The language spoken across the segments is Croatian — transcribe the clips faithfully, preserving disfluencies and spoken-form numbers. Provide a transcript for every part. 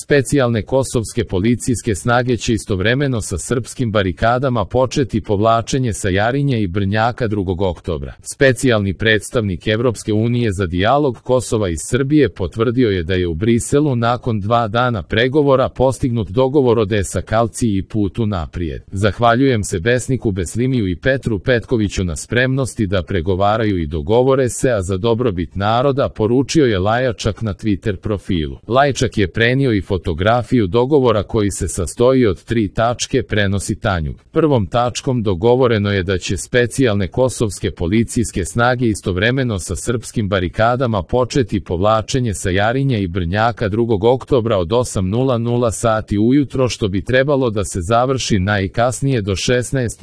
Specijalne kosovske policijske snage će istovremeno sa srpskim barikadama početi povlačenje sa Jarinje i Brnjaka drugog oktobra. Specijalni predstavnik Evropske unije za dijalog Kosova i Srbije potvrdio je da je u Briselu nakon dva dana pregovora postignut dogovor o deeskalaciji i putu naprijed. Zahvaljujem se Besniku Beslimiju i Petru Petkoviću na spremnosti da pregovaraju i dogovore se, a za dobrobit naroda, poručio je Lajačak na Twitter profilu. Lajčak je prenio i fotografiju dogovora koji se sastoji od tri tačke, prenosi Tanjug. Prvom tačkom dogovoreno je da će specijalne kosovske policijske snage istovremeno sa srpskim barikadama početi povlačenje sa Jarinje i Brnjaka drugog oktobra od osam sati ujutro, što bi trebalo da se završi najkasnije do šesnaest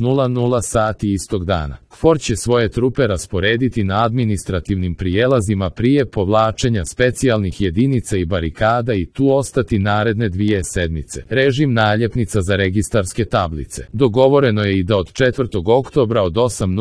sati istog dana. KFOR će svoje trupe rasporediti na administrativnim prijelazima prije povlačenja specijalnih jedinica i barikada i tu ostati naredne dvije sedmice. Režim naljepnica za registarske tablice. Dogovoreno je i da od četvrtog oktobra od osam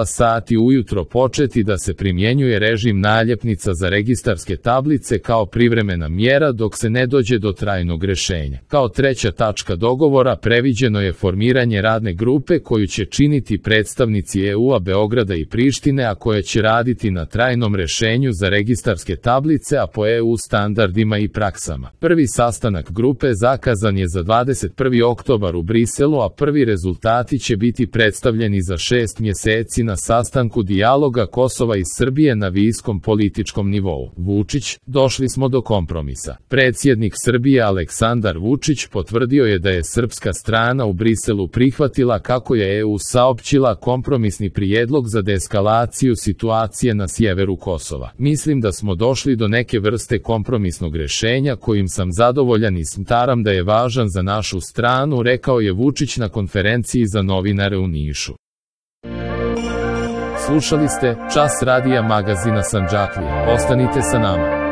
sati ujutro početi da se primjenjuje režim naljepnica za registarske tablice kao privremena mjera dok se ne dođe do trajnog rešenja. Kao treća tačka dogovora previđeno je formiranje radne grupe koju će činiti predstavnici E U-a Beograda i Prištine, a koja će raditi na trajnom rešenju za registarske tablice, a po E U standardima i praksama. Prvi sastanak grupe zakazan je za dvadeset prvi oktobar u Briselu, a prvi rezultati će biti predstavljeni za šest mjeseci na sastanku dijaloga Kosova i Srbije na viskom političkom nivou. Vučić, došli smo do kompromisa. Predsjednik Srbije Aleksandar Vučić potvrdio je da je srpska strana u Briselu prihvatila, kako je E U saopćila, kompromisni prijedlog za deeskalaciju situacije na sjeveru Kosova. Mislim da smo došli do neke vrste kompromisnog rešenja kojim sam zadovoljan i smatram da je važan za našu stranu, rekao je Vučić na konferenciji za novinare u Nišu. Slušali ste Čas radija magazina Sandžaklija. Ostanite sa nama.